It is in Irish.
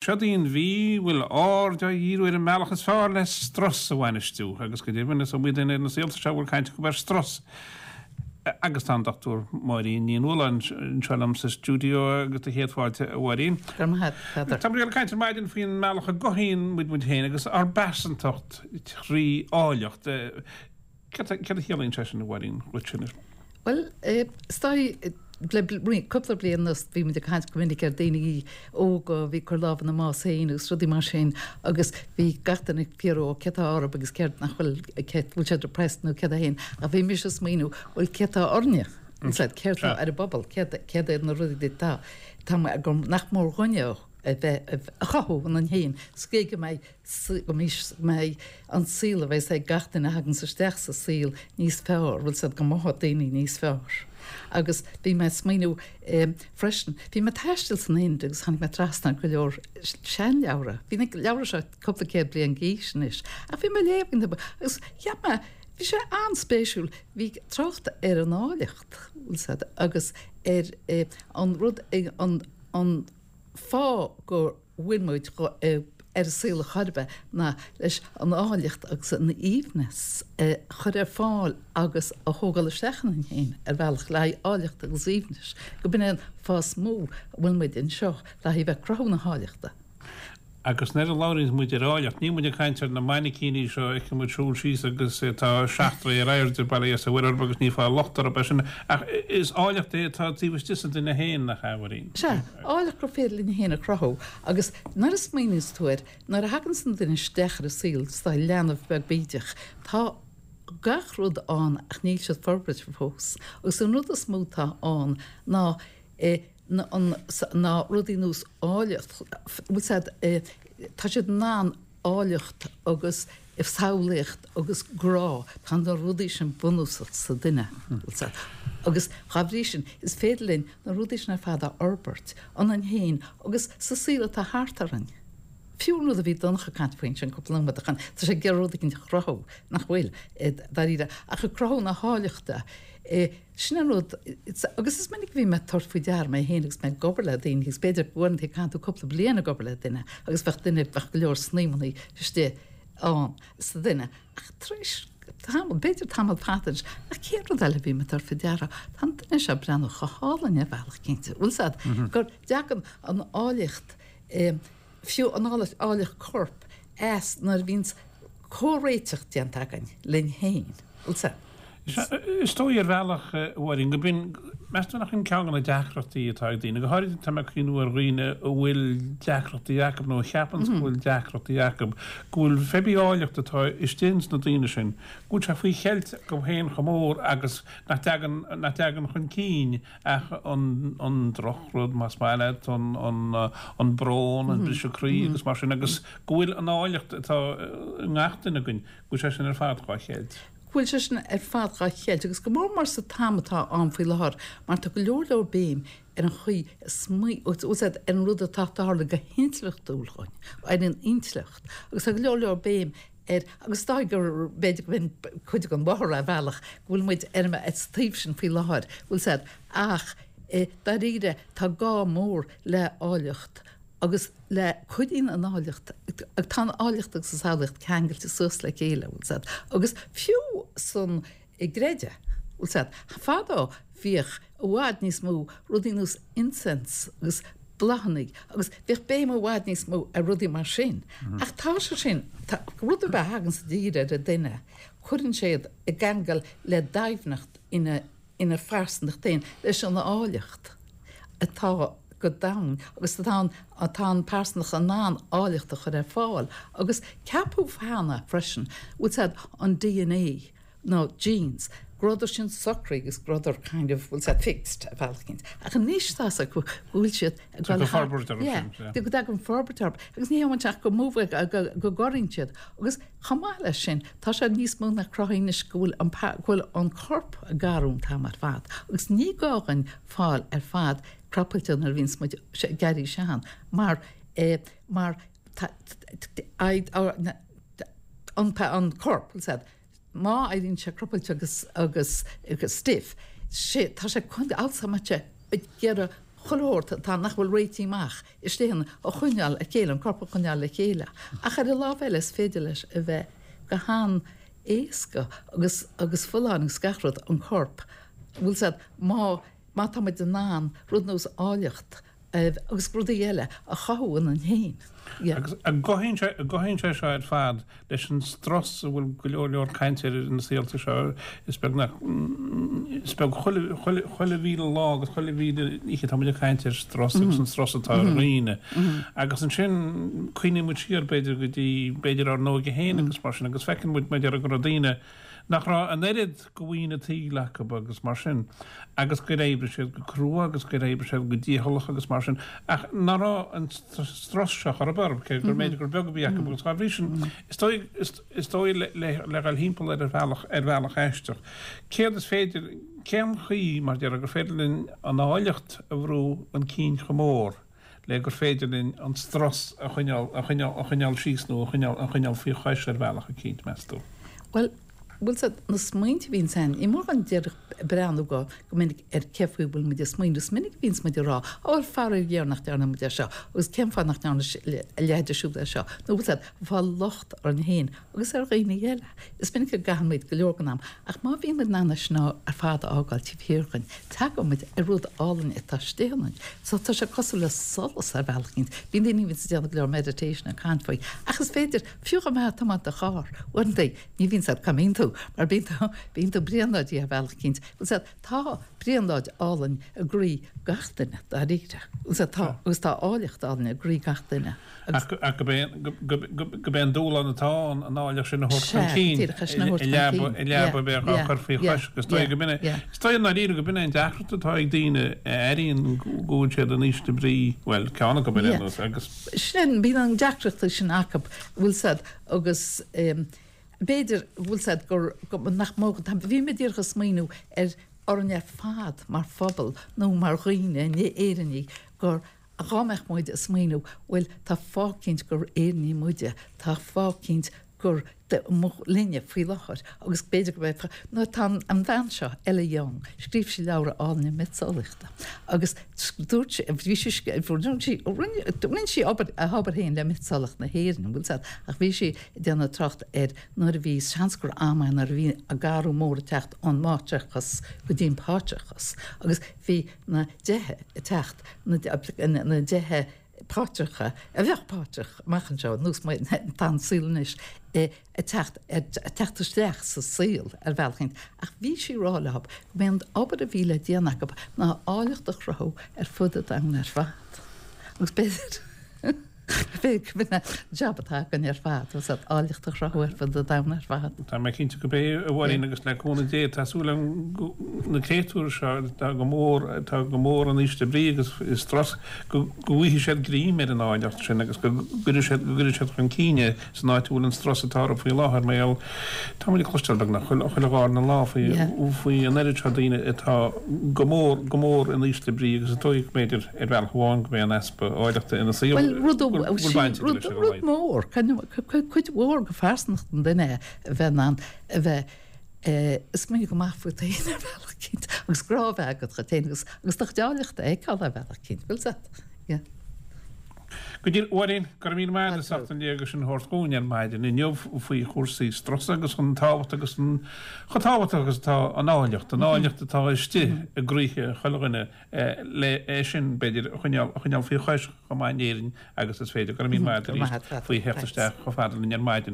Seod í an mhí a bhfuil aird á dhíriú ar an mbealach is fearr le strus a bhainistiú, agus go deimhin is iomaí duine ar na saolta seo a bhfuil caint acu ar strus. Agus tá an Dr Máirín Ní Nualláin anseo liom sa stiúideo agus do chéad fáilte, a Mháirín. Go raibh maith agat, a Pheadair. Tá muid ag caint ar maidin faoin mbealach a gcothaíonn muid muid féin agus ár bpearsantacht trí áilleacht. Céard a chiallaíonn sé sin, a Mháirín, dhuit anois? Bhuel, is dóigh, le cúpla bliain anuas bhí muid ag caint go minic ar daoine óga a bhí ag cur lámh ina mbás féin agus rudaí mar sin agus bhí gach duine ag fiafraí ó céard atá orthu agus céard nach bhfuil, cé, bhfuil siad depressed nó céard é féin ach bhí mise ag smaoineamh bhuel céard atá orainne, céard atá ar an bpobal, céard, céard iad na rudaí atá, tá, nach mór dhúinne a bheith, a chothú ionainn féin sa gcaoi go mbeidh go mbeidh an saol a bheas ag gach duine a thaganns isteach sa saol níos fearr, bhfuil 's a'd, go mothóidh daoine níos fearr. Agus bhí mé ag smaoineamh freisin, bhí mé ag taisteal san Ind agus tháinig mé trasna ar go leor seanleabhra, bhí na leabhra seo cúpla céad bliain d'aois anois, ach bhí mé ag léamh agus cheap mé, bhí sé an-spéisiúil, bhí trácht ar an áilleacht, bhfuil 's a'd, agus ar an rud, an, an fáth go. bhfuil muid ar an saol ar chor ar bith ná leis an áilleacht agus an aoibhneas a chur ar fáil agus a thógáil isteach ionainn féin ar bhealach le haghaidh áilleachta agus aoibhnis, go b'in é an fáth is mó a bhfuil muid anseo le haghaidh bheith ag cruthú na háilleachta. Agus nuair a labhraíonns muid ar áilleacht, níl muid ag caint ar na mainicíní seo a fheiceann muid siúl síos agus atá seacht dtroithe ar airde, bail ó Dhia 's ó Mhuire orthu agus ní fáil locht orthu é sin, ach is áilleacht é atá taobh istigh sa duine féin, nach ea, a Mháirín? Sea, áilleacht gur féidir linn féin a chruthú agus nuair a smaoiníonns tú air, nuair a thaganns an duine isteach ar an saol, is dóigh, leanbh beag bídeach, tá gach rud ann ach níl siad forbraithe fós agus an rud is mó atá ann ná ná rudaí nós áilleacht, bhfuil 's a'd, tá siad in ann áilleacht agus samhlaíocht agus grá, tá na rudaí sin bunúsach sa duine, bhfuil 's a'd. Agus dá bhrí sin, is féidir linn na rudaí sin ar fad a fhorbairt ionainn féin agus sa saol atá thart orainn. Fiú an rud a bhí Donncha ag caint faoi ansin cúpla nóiméad ó shin, tá sé ag iarraidh rud éicint a chruthú, nach bhfuil, dáiríre, ach ag cruthú na háilleachta. Sin an rud, agus is minic a bhí mé ag tabhairt faoi deara mé féin agus mé ag obair le daoine agus b'fhéidir go uaireanta caitheann tú cúpla bliain ag obair le duine agus bheadh duine, bheadh go leor snaidhmeanna istigh ann sa duine ach tar éis tamall, b'fhéidir tamall fada anois, ach cén rud eile a bhí mé ag tabhairt faoi deara, tá an duine seo ag breathnú chomh hálainn ar bhealach cinnte, bhfuil 's a'd, go dtagann an áilleacht, fiú an áilleacht coirp as nuair a bhíonns comhréiteach déanta againn linn féin, bhfuil 's a'd. Is dóigh ar bhealach, a Mháirín, go b'in, meas tú nach in ceann de na deacrachtaí atá ag daoine, go háirithe tá mé ag cuimhniú ar dhaoine a bhfuil deacrachtaí acu nó a cheapanns go bhfuil deacrachtaí acu, go bhfuil pé bí áilleacht atá istigh ins na daoine sin, go bhfuil sé faoi cheilt acu féin chomh mór agus nach dtagann, nach dtagann chun cinn ach an, an drochrud, más maith leat, an, an, an brón, an briseadh croí agus mar sin agus go bhfuil an áilleacht atá i ngach duine againn, go bhfuil sé sin ar fad dhá cheilt. go bhfuil sé sin ar fad dhá cheilt agus go mór mór sa t-am atá ann faoi láthair mar tá go leor leor béim ar an chaoi a smaoiníonn ar an rud atá ag tarlú go hintleachtúil dhúinn, ar an intleacht agus tá go leor leor béim ar agus is dóigh gur b'fhéidir go b'in cuid den mhothú ar bhealach go bhfuil muid ar an taobh sin faoi láthair, bhfuil 's a'd ach dáiríre tá gá mór le áilleacht agus le cuidíonn an áilleacht, tá an áilleacht agus an samhlaíocht ceangailte suas le chéile, bhfuil 's a'd, agus fiú san gcreideamh, bhfuil 's a'd, fadó bhíodh i bhfad níos mó rudaí nós incense agus bláthanna agus bhíodh béim i bhfad níos mó ar rudaí mar sin. Ach tá sé sin, tá, rud ar bith a thagann i dtír ar an duine, cuireann sé iad i gceangal le doimhneacht ina ina phearsantacht féin, leis an áilleacht atá go domhain agus atá an, atá an pearsantacht in ann áilleacht a chur ar fáil. Agus ceapadh cheana freisin, bhfuil 's a'd, an DNA nó genes, go rabhadar sin socraithe agus go rabhadar kind of, bhfuil 's a'd, fixed ar bhealach éicint. Ach anois tá 's acu go bhfuil siad ag dul thar, forbairt orthu yeah, sin, yeah. go dtagann forbairt orthu. Agus ní hamháin sin ach go move, go, go gcorraíonn siad. Agus Chomh maith leis sin, tá sé níos mó ná cruthaithe anois go bhfuil an go bhfuil an corp ag athrú an t-am ar fad agus ní gá dhuinn fáil ar fad crapailte nuair a bhíonns muid ag éirí sean mar mar tá an an corp, bhfuil 's a'd, má éiríonn sé crapailte agus agus stiff, sé tá sé chun alsamate ag iarraidh. Chuile shórt atá nach bhfuil réitithe amach istigh ionainn a choinneáil le chéile, an corp a choinneáil le chéile. Ach ar an lámh eile is féidir leis a bheith go han-éasca agus agus folláin agus gach rud, an corp, bhfuil 's a'd, má má tá muid in ann rud nós áilleacht agus rudaí eile a chothú ionainn féin. Yeah. Agus an gcothaíonn sé, an gcothaíonn sé seo ar fad leis an strus a bhfuil go leor leor cainte air na saolta seo, is beag nach, is beag chuile, chuile, chuile mhíle lá agus chuile mhíle oíche tá muid ag caint ar strus agus an strus atá ar dhaoine. Agus ansin cuimhníonn muid siar b'fhéidir go dtí, b'fhéidir ár n-óige féin agus mar sin agus feiceann muid mar a déarfá go raibh daoine nach raibh an oiread go mhaoin an tsaoil acu agus mar sin, agus gur oibrigh siad go crua agus gur oibrigh siad go dícheallach agus mar sin, ach ná raibh an strus seo chor ar bith orthu, cé gur mb'fhéidir gur beag a bhí acu agus dá bhrí sin, is dóigh, is dóigh le, le dhul thimpeall air ar bhealach, ar bhealach aisteach. Céard is féidir, cén chaoi, mar a déarfá, gur féidir linn an áilleacht a bhrú chun cinn chomh mór? le gur féidir linn an strus a choinneáil, a choinneáil, a choinneáil síos nó a choinneáil, a choinneáil faoi chois ar bhealach eicínt, meas tú? Bhuel, bhfuil 's a'd, na smaointe a bhíonns a'inn, ní mór dhúinn díreach breathnú go, go minic ar cé faoi a bhfuil muid ag smaoineamh. Is minic a bhíonns muid ag rá, Ó, bhuel, faraor géar nach ndearna muid é seo, agus cén fáth nach ndearna a leithéide siúd é seo, nó bhfuil 's a'd, fáil locht orainn féin agus ar dhaoine eile. Is minic a gcaitheann muid go leor den am, ach má bhíonn muid in ann é sin ar fad a fhágáil taobh thiar dhúinn, tagann muid ar rud álainn atá istigh ionainn. So tá sé cosúil le solas ar bhealach éicint. Bíonn daoine a bhíonns ag déanamh go leor meditation ag caint faoi, ach is féidir, fiú dá mbeifeá ag tiomáint do charr, uaireanta, ní bhíonn 's a'd cá mbíonn tú, mar bíonn tú, bíonn tú brionglóidí ar bhealach éicint. Bhfuil 's a'd, tá brionglóid álainn i gcroí gach duine, dáiríre. Bhfuil 's a'd, tá, agus tá áilleacht álainn i gcroí gach duine. Ach gurb é an dúshlán atá ann an áilleacht sin a thabhairt chun cinn i leaba a bheadh á cur faoi chois agus is dóigh go b'in é, is dóigh i ndáiríre go b'in é an deacracht atá ag daoine a airíonn go bhfuil siad in ísle brí, bhuel, ceann acu ar aon nós, agus. Sin, bíonn an deacracht sin acu, bhfuil 's a'd, agus b'fhéidir, bhfuil 's a'd, gur, nach mó, bhí mé díreach ag smaoineamh ar orainn ar fad mar phobal nó mar dhaoine, Éireannaigh, gur Dhá mbeadh muid ag smaoineamh, bhuel, tá fáth eicínt gur Éireannaigh muide, tá fáth eicínt gur linne faoi láthair agus b'fhéidir go mbeidh, nó tá an bhean seo, Ella Young, scríobh sí leabhar álainn miotaseolaíochta agus dúirt sí, bhí sí, rinne sí, rinne sí obair, a hobair féin le miotaseolaíocht na hÉireann, bhfuil 's a'd, ach bhí sí ag déanamh trácht ar nuair a bhí, seans gur am é nuair a bhí an t-athrú mór ag teacht ón máitreachas go dtí an páitreachas agus bhí na déithe ag teacht, na déithe páitreacha, a bheadh páitreach amach anseo, nós mar atá an saol anois, ag teacht, ag teacht isteach sa saol ar bhealach éicint. Ach bhí sí ag rá leo go mb'é an obair a bhí le déanamh acu ná áilleacht a chruthú ar fud an domhain ar fad. Agus b'fhéidir. B'fhéidir gurb in é an jab atá againn ar fad, tá 's a'd, áilleacht a chruthú ar fud an domhain ar fad. Tá mé cinnte gurb é, a Mháirín, agus le cúnamh Dé, tá súil agam go na créatúir seo atá go mór, atá go mór in ísle brí agus i strus, go bhfaighidh siad greim ar an áilleacht sin agus go gcuirfidh siad, go gcuirfidh siad chun cinn é san áit a bhfuil an strus atá orthu faoi láthair mar gheall, tá muid ag cloisteáil beagnach chuile, chuile dhárna lá faoi, faoi an oiread seo daoine atá go mór, go mór in ísle brí agus is dóigh go mb'fhéidir ar bhealach amháin go mb'é an easpa áilleachta ina saol Bhuel, rud, go bhfuil baint aige leis ar a rud laghad. mór, cuid mhór de phearsantacht an duine a bheith in ann a bheith ag smaoineamh go maith fút féin ar bhealach eicínt agus grá a bheith agat dhuit féin agus agus do chuid áilleachta a fheiceáil ar bhealach eicínt, bhfuil 's a'd? Yeah. Go díreach, a Mháirín, go raibh míle maith agat as ucht an léargas sin a thabhairt dhúinn ar maidin inniu faoi chúrsaí strusa agus an tábhacht agus an chomh tábhachtach agus atá an áilleacht, an áilleacht atá istigh i gcroíthe chuile dhuine le é sin, b'fhéidir, a choinneáil, a choinneáil faoi chois chomh maith in Éirinn agus is féidir. Go raibh míle maith agat arís faoi theacht isteach chomh fada linn ar maidin.